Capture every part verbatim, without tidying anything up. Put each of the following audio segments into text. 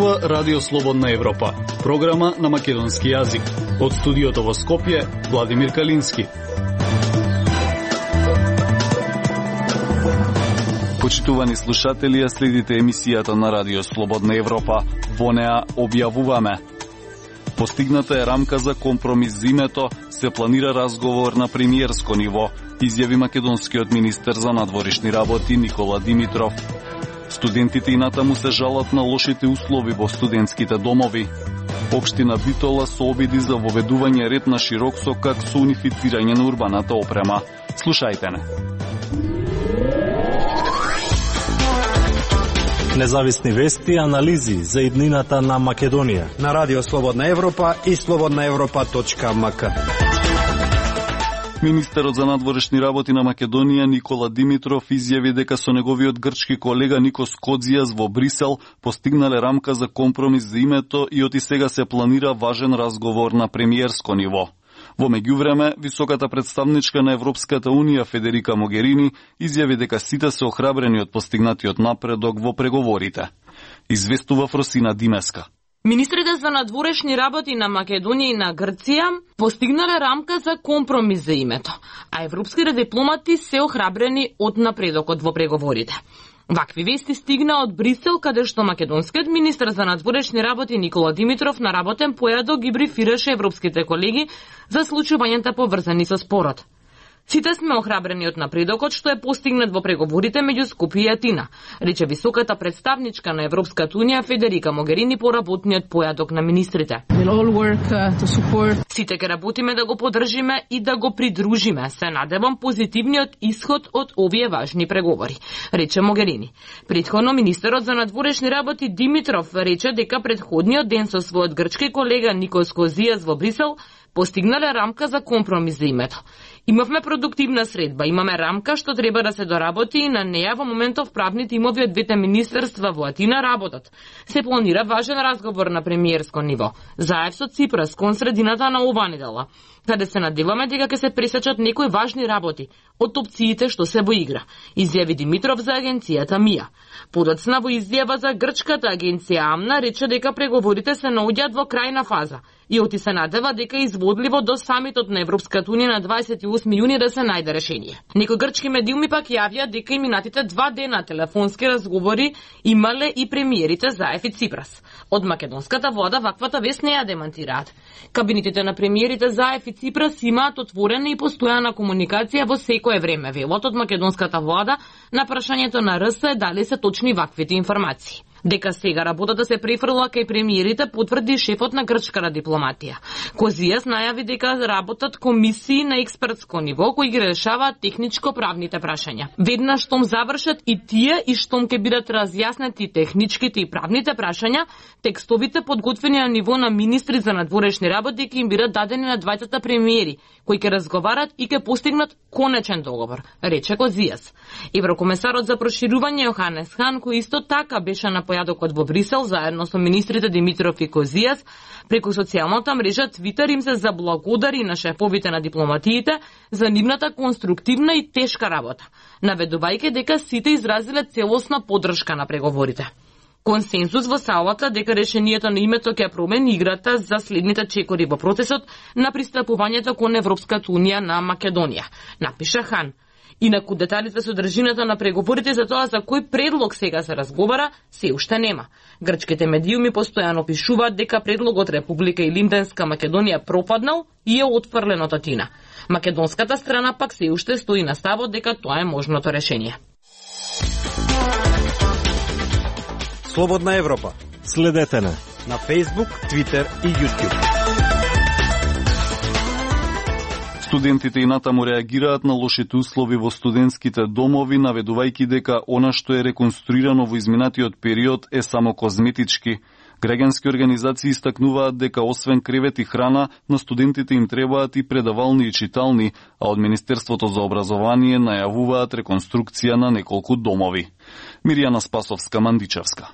зборува Радио Слободна Европа, програма на македонски јазик. Од студиото во Скопје, Владимир Калински. Почитувани слушатели, ја следите емисијата на Радио Слободна Европа. Во неа објавуваме: постигната е рамка за компромис за името, се планира разговор на премиерско ниво, изјави македонскиот министер за надворешни работи Никола Димитров. Студентите и натаму се жалат на лошите услови во студентските домови. Општина Битола се обиди за воведување ред на Широксокак со унифицирање на урбаната опрема. Слушајте не. Независни вести и анализи за иднината на Македонија на Радио Слободна Европа и слободна европа точка ем ка. Министерот за надворешни работи на Македонија Никола Димитров изјави дека со неговиот грчки колега Никос Коdzias во Брисел постигнале рамка за компромис за името и оти сега се планира важен разговор на премиерско ниво. Во меѓувреме, високата представничка на Европската Унија Федерика Могерини изјави дека сите се охрабрени од постигнатиот напредок во преговорите. Известува Фросина Димеска. Министрите за надворешни работи на Македонија и на Грција постигнале рамка за компромис за името, а европските дипломати се охрабрени од напредокот во преговорите. Вакви вести стигна од Брисел, каде што македонскиот министер за надворешни работи Никола Димитров на работен појадок ги брифираше европските колеги за случувањата поврзани со спорот. Сите сме охрабрени од напредокот што е постигнат во преговорите меѓу Скопје и Атина, рече високата представничка на Европската Унија Федерика Могерини по работниот појадок на министрите. Сите ќе работиме да го поддржиме и да го придружиме, се надевам, позитивниот исход од овие важни преговори, рече Могерини. Претходно министерот за надворешни работи Димитров рече дека претходниот ден со својот грчки колега Никос Коdzias во Брисел постигнале рамка за компромис за името. Имавме продуктивна средба, имаме рамка што треба да се доработи и на неја во моментов правни тимови од двете министерства во Атина работат. Се планира важен разговор на премиерско ниво, заедно со Ципрас кон средината на оваа недела, каде се надеваме дека ќе се пресечат некои важни работи од опциите што се во игра, изјави Димитров за агенцијата МИА. Подоцна во изјава за грчката агенција АМНА рече дека преговорите се наоѓаат во крајна фаза и оти се надева дека изводливо до самитот на Европската Унија на дваесет и осми јуни да се најде решение. Некои грчки медиуми пак јавија дека и минатите два дена телефонски разговори имале и премиерите Заев и Ципрас. Од македонската влада ваквата вест не ја демантираат. Кабинетите на премиерите Заев и Ципрас имаат отворена и постојана комуникација во секое време, велат од македонската влада на прашањето на РС дали се точни ваквите информации. Дека сега работата се префрла кај премиерите потврди шефот на грчката дипломатија. Коdzias најави дека работат комисии на експертско ниво кои ги решаваат техничко-правните прашања. Веднаш штом завршат и тие и штом ќе бидат разјаснети техничките и правните прашања, текстовите подготвени на ниво на министри за надворешни работи ќе им бидат дадени на двајцата премиери, кои ќе разговарат и ќе постигнат конечен договор, рече Коdzias. Еврокомесарот за проширување Јоханес Хан, кој исто така беше на појадокот во Брисел заедно со министрите Димитров и Коdzias, преку социјалната мрежа Твитер им се заблагодари на шефовите на дипломатиите за нивната конструктивна и тешка работа, наведувајќи дека сите изразиле целосна поддршка на преговорите. Консенсус во салата дека решението на името ќе промени играта за следните чекори во процесот на пристапувањето кон Европската Унија на Македонија, напиша Хан. Инаку деталите за содржината на преговорите за тоа за кој предлог сега се разговара, се уште нема. Грчките медиуми постојано пишуваат дека предлогот Република Илинденска Македонија пропаднал и е отфрлен од Атина. Македонската страна пак се уште стои на ставот дека тоа е можното решение. Слободна Европа. Следете на на Facebook, Twitter и YouTube. Студентите и натаму реагираат на лошите услови во студентските домови, наведувајќи дека она што е реконструирано во изминатиот период е само козметички. Граѓански организации истакнуваат дека освен кревет и храна, на студентите им требаат и предавални и читални, а од Министерството за образование најавуваат реконструкција на неколку домови. Миријана Спасовска, Мандичевска.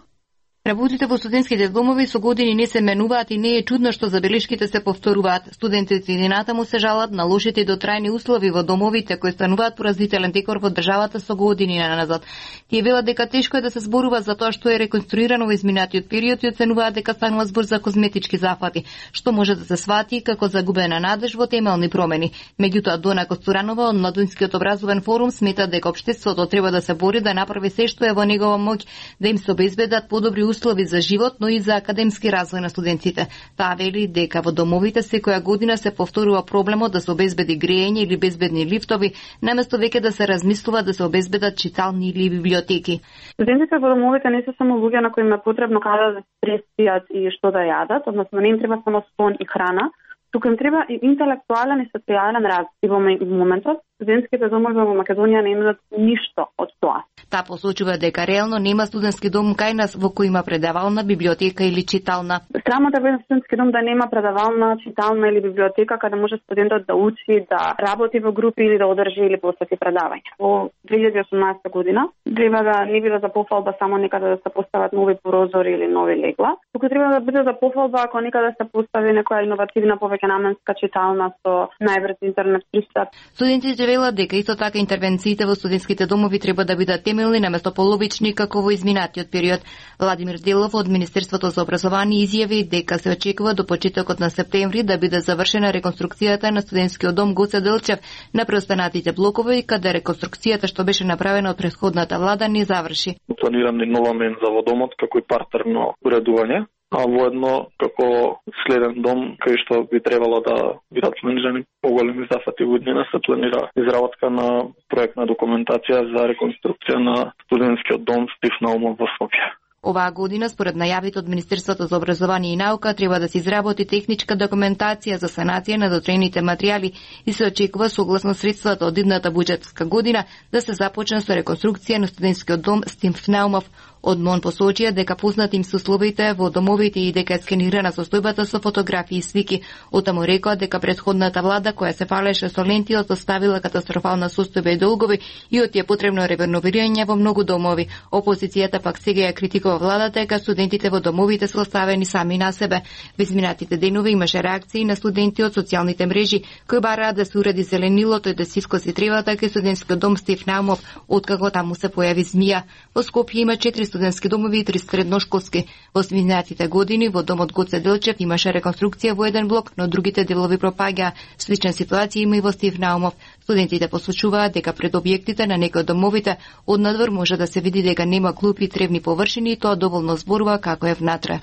Работите во студентските домови со години не се менуваат и не е чудно што забелешките се повторуваат. Студентите и натаму се жалат на лошите и дотрајни услови во домовите кои стануваат поразителен декор во државата со години назад. Тие велат дека тешко е да се зборува за тоа што е реконструирано во изминатиот период и оценуваат дека станува збор за козметички зафати, што може да се свати како загубена надеж во темелни промени. Меѓутоа Дона Костуранова од Младинскиот образовен форум смета дека општеството треба да се бори да направи се што е во негова моќ да им се обезбедат подобри услови за живот, но и за академски развој на студентите. Таа вели дека во домовите секоја година се повторува проблемот да се обезбеди грејење или безбедни лифтови, наместо веќе да се размислува да се обезбедат читални или библиотеки. Студентите во домовите не се само луѓе на кои им е потребно каде да се преспијат и што да јадат, односно не им треба само сон и храна, туку им треба и интелектуален и социјален развој. И во моментот студентските домови во Македонија не имаат ништо од тоа. Таа посочува дека реално нема студентски дом кај нас во кој има предавална, библиотека или читална. Срамота во студентски дом да нема предавална, читална или библиотека каде може студентот да учи, да работи во групи или да одржи или посети предавања. Во две илјади и осумнаесета година треба да не биде за пофалба само некаде да се постават нови прозори или нови легла, туку треба да биде за пофалба ако некаде се постави некоја иновативна повеќе наменска читална со најбрз интернет пристап. Студентите велат дека исто така интервенциите во студентските домови треба да бидат темелни наместо половични како во изминатиот период. Владимир Делов од Министерството за образование изјави дека се очекува до почетокот на септември да биде завршена реконструкцијата на студентскиот дом Гоце Делчев на преостанатите блокови, каде реконструкцијата што беше направена од претходната влада не заврши. Планирам нова менза во домот како и партерно уредување, а воедно како следен дом кај што би требало да бидат планирани поголеми зафати во иднина, се планира изработка на проектна документација за реконструкција на студентскиот дом Стив Наумов во Скопје. Оваа година, според најавите од Министерството за образование и наука, треба да се изработи техничка документација за санација на дотрените материјали и се очекува согласно средствата од идната буџетска година да се започне со реконструкција на студентскиот дом Стив Наумов. Од МОН посочија дека познати им се условите во домовите и дека е скенирана состојбата со фотографии и слики. Отаму рекоа дека претходната влада која се фалеше со лентилот оставила катастрофална состојба и долгови и од тие потребно реновирање во многу домови. Опозицијата пак сега ја критикува владата дека студентите во домовите се оставени сами на себе. Во изминатите денови имаше реакции на студенти од социјалните мрежи кои бараат да се уреди зеленилото и да се искоси тревата кај студентскиот дом Стив Наумов откако таму се појави змија. Во Скопје има четири студентски домови и три средношколски. Во изминатите години во домот Гоце Делчев имаше реконструкција во еден блок, но другите делови пропаѓаа. Слична ситуација има и во Стив Наумов. Студентите посочуваат дека пред објектите на некои од домовите однадвор може да се види дека нема клупи и тревни површини и тоа доволно зборува како е внатре.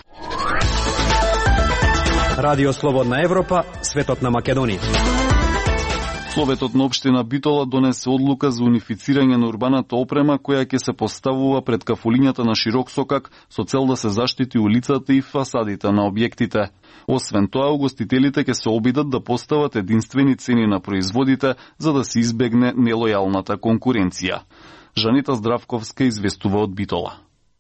Радио Слободна Европа, светот на Македонија. Советот на општина Битола донесе одлука за унифицирање на урбаната опрема која ќе се поставува пред кафулињата на широк сокак со цел да се заштити улицата и фасадите на објектите. Освен тоа, угостителите ќе се обидат да постават единствени цени на производите за да се избегне нелојалната конкуренција. Жанита Здравковска известува од Битола.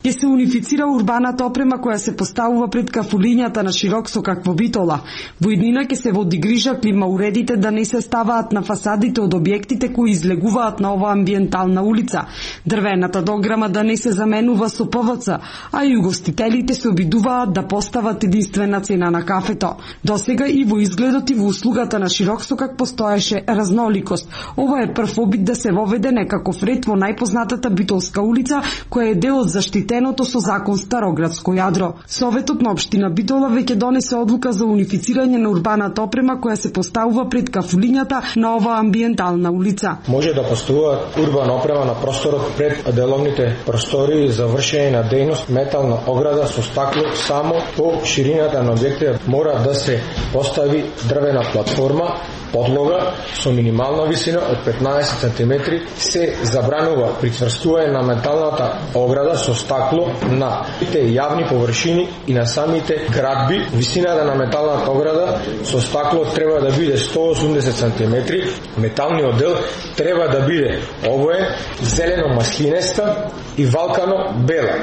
Ќе се унифицира урбаната опрема која се поставува пред кафулињата на широк сокак во Битола. Во иднина ќе се води грижа клима уредите да не се ставаат на фасадите од објектите кои излегуваат на оваа амбиентална улица, дрвената дограма да не се заменува со Пе Ве Це, а и угостителите се обидуваат да постават единствена цена на кафето. Досега и во изгледот и во услугата на широк сокак постоеше разноликост. Ова е прв обид да се воведе некаков ред во најпознатата битолска улица, која е дел од заштитеното со закон Староградско јадро. Советот на општина Битола веќе донесе одлука за унифицирање на урбаната опрема која се поставува пред кафулињата на оваа амбиентална улица. Може да поставува урбана опрема на просторот пред деловните простори за вршење на дејност метална ограда со стакло само по ширината на објектите мора да се постави дрвена платформа, подлога со минимална висина од петнаесет сантиметри. Се забранува прицврстување на металната ограда со стакло на сите јавни површини и на самите градби. Висината на металната ограда со стакло треба да биде сто и осумдесет сантиметри. Металниот дел треба да биде обоен, зелено маслинеста и валкано бела.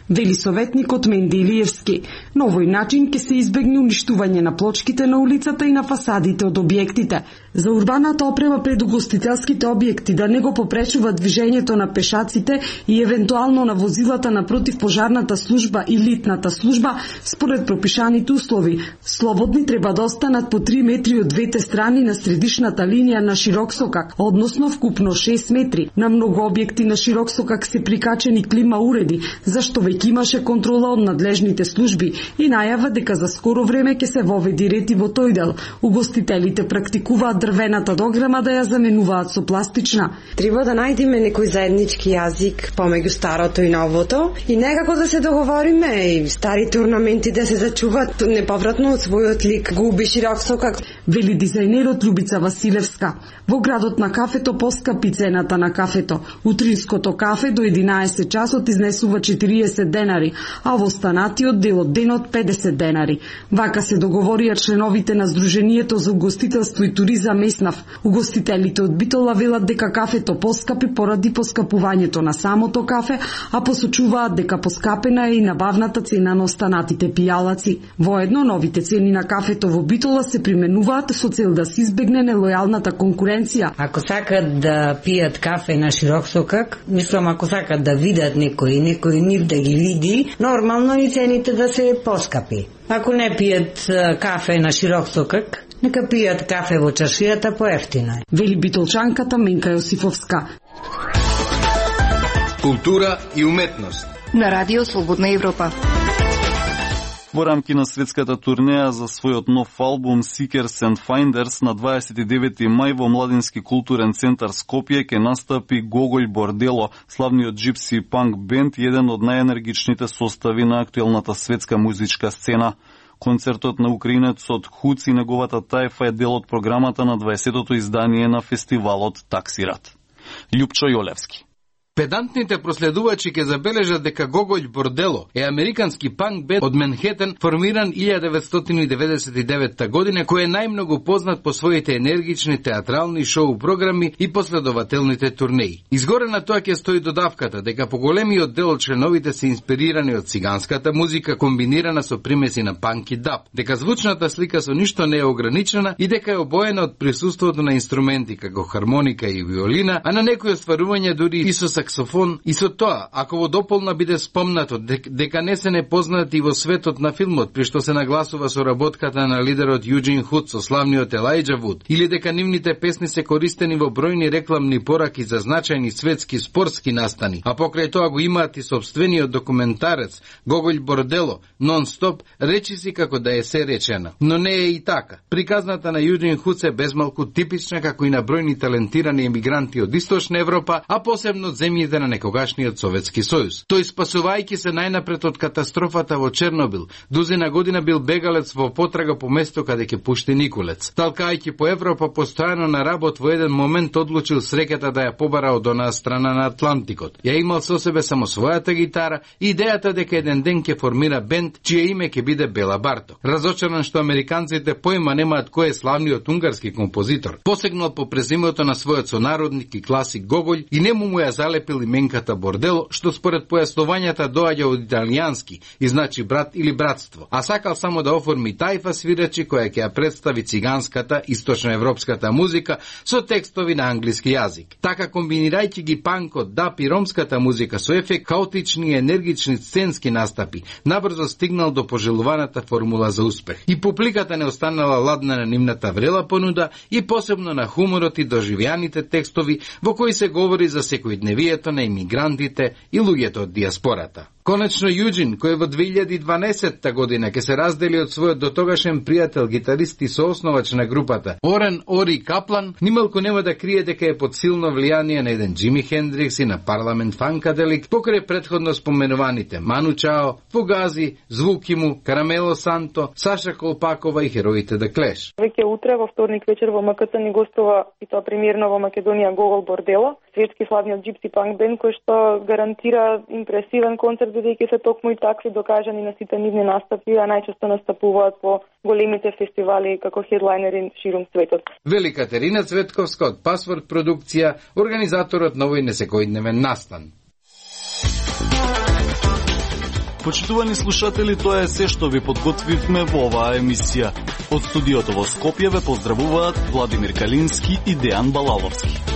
вели советникот Менде Илиевски. На овој начин ќе се избегне уништување на плочките на улицата и на фасадите од објектите. За урбаната опрема пред угостителските објекти да не го попречува движењето на пешаците и евентуално на возилата на противпожарната служба и литната служба, според пропишаните услови. Слободни треба да останат по три метри од двете страни на средишната линија на широк сокак, односно вкупно шест метри. На многу објекти на широк сокак се прикачени клима уреди, зашто веќе имаше контрола од надлежните служби и најава дека за скоро време ќе се воведи ред и во тој дел. Угостителите практикуваат дрвената дограма да ја заменуваат со пластична. Треба да најдеме некој заеднички јазик помеѓу старото и новото и некако да се договориме и старите орнаменти да се зачуваат неповратно од својот лик. Губи широк сокак, вели дизајнерот Љубица Василевска. Во градот на кафето поскапи цената на кафето. Утринското кафе до единаесет часот изнесува четириесет денари, а во останатиот дел од денот педесет денари. Вака се договорија членовите на Сдруженијето за угостителство и туризам Меснав. Угостителите од Битола велат дека кафето поскапи поради поскапувањето на самото кафе, а посочуваат дека поскапена е и набавната цена на останатите пијалаци. Воедно новите цени на кафето во Битола се применуваат со цел да се избегне нелојалната конкуренција. Ако сакат да пијат кафе на широк сокак, мислам ако сакат да видат некој, некој нив да ги види, нормално и цените да се поскапи. Ако не пијат кафе на широк сокак, нека пијат кафе во чашијата поевтино. Вели битолчанката Менка Јосифовска. Култура и уметност на Радио Слободна Европа. Во рамки на светската турнеја за својот нов албум Seekers and Finders на дваесет и девети мај во Младински културен центар Скопје ќе настапи Гоголј Бордело, славниот джипси панк бенд, еден од најенергичните состави на актуелната светска музичка сцена. Концертот на украинецот Хуц и неговата тајфа е дел од програмата на дваесетото издание на фестивалот Таксират. Љупчо Јолевски. Педантните проследувачи ќе забележат дека Гоголј Бордело е американски панк бенд од Менхетен, формиран илјада деветстотини деветдесет и девета година, кој е најмногу познат по своите енергични театрални шоу програми и последователните турнеи. Изгоре на тоа ќе стои додавката дека поголемиот дел од членовите се инспирирани од циганската музика комбинирана со примеси на панк и даб, дека звучната слика со ништо не е ограничена и дека е обоена од присуството на инструменти како хармоника и виолина, а на некои остварувања дури и со саксофон, и со тоа, ако во дополна биде спомнато дека не се непознати во светот на филмот, при што се нагласува со работката на лидерот Јуџин Худ со славниот Елајџа Вуд, или дека нивните песни се користени во бројни рекламни пораки за значајни светски спортски настани, а покрај тоа го имаат и собствениот документарец Гоголј Бордело, нон-стоп, речиси како да е се речена. Но не е и така. Приказната на Јуџин Худ се безмалку типична како и на бројни талентирани емигранти од Источна Европа, а посебно од земјите на некогашниот Советски сојуз. Тој, спасувајќи се најнапред од катастрофата во Чернобил, дузина година бил бегалец во потрага по место каде ќе пушти Николец. Талкајќи по Европа постојано на работ, во еден момент одлучил среќата да ја побара од онаа страна на Атлантикот. Ја имал со себе само својата гитара и идејата дека еден ден ќе формира бенд чие име ќе биде Бела Барто. Разочаран што американците поима немаат кој е славниот унгарски композитор, посегнал по презимето на својот сонародник и класик Гоголј и нему му ја залепил именката Бордело, што според појаснувањата доаѓа од италијански и значи брат или братство, а сакал само да оформи тајфа свирачи која ќе ја представи циганската источноевропската музика со текстови на англиски јазик. Така, комбинирајќи ги панкот, дап и ромската музика со ефект хаотични и енергични сценски настапи, набрзо стигнал до пожелуваната формула за успех. И публиката не останала ладна на нивната врела понуда и посебно на хуморот и доживјаните текстови во кои се говори за секојдневието на имигрантите и луѓето од диаспората. Конечно, Јуџин, кој во две илјади и дванаесетта година ќе се раздели од својот дотогашен пријател, гитарист и соосновач на групата, Орен Ори Каплан, нималку нема да крие дека е под силно влијание на еден Џими Хендрикс и на Парламент Фанкаделик, покрај претходно споменуваните Ману Чао, Фугази, Звукиму, Карамело Санто, Саша Колпакова и хероите да Клеш. Веќе утре во вторник вечер во МКЦ ни гостува и тоа премиерно во Македонија Гоголј Бордело, светски славниот джипси панк бенд кој што гарантира импресивен концерт, бидејќи се токму и такви докажани на сите нивни настапи, а најчесто настапуваат по големите фестивали како хедлайнери ширум светот. Вели Катерина Цветковска од Пасворд продукција, организаторот на овој несекојдневен настан. Почитувани слушатели, тоа е се што ви подготвивме во оваа емисија. Од студиото во Скопје ве поздравуваат Владимир Калински и Дејан Балаловски.